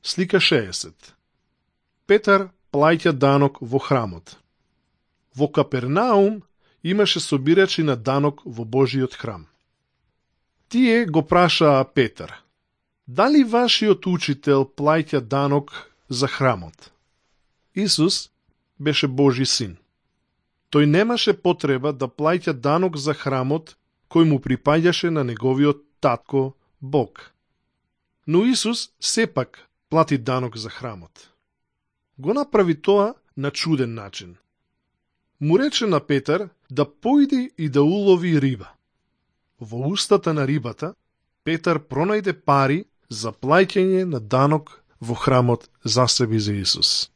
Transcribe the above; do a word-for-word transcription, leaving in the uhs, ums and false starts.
Слика шеесет. Петар плаќа данок во храмот. Во Капернаум имаше собирачи на данок во Божиот храм. Тие го прашаа Петар: дали вашиот учител плаќа данок за храмот? Исус беше Божи син. Тој немаше потреба да плаќа данок за храмот кој му припаѓаше на неговиот татко Бог. Но Исус сепак плати данок за храмот. Го направи тоа на чуден начин. Му рече на Петар да појде и да улови риба. Во устата на рибата Петар пронајде пари за плаќање на данок во храмот за себе и за Исус.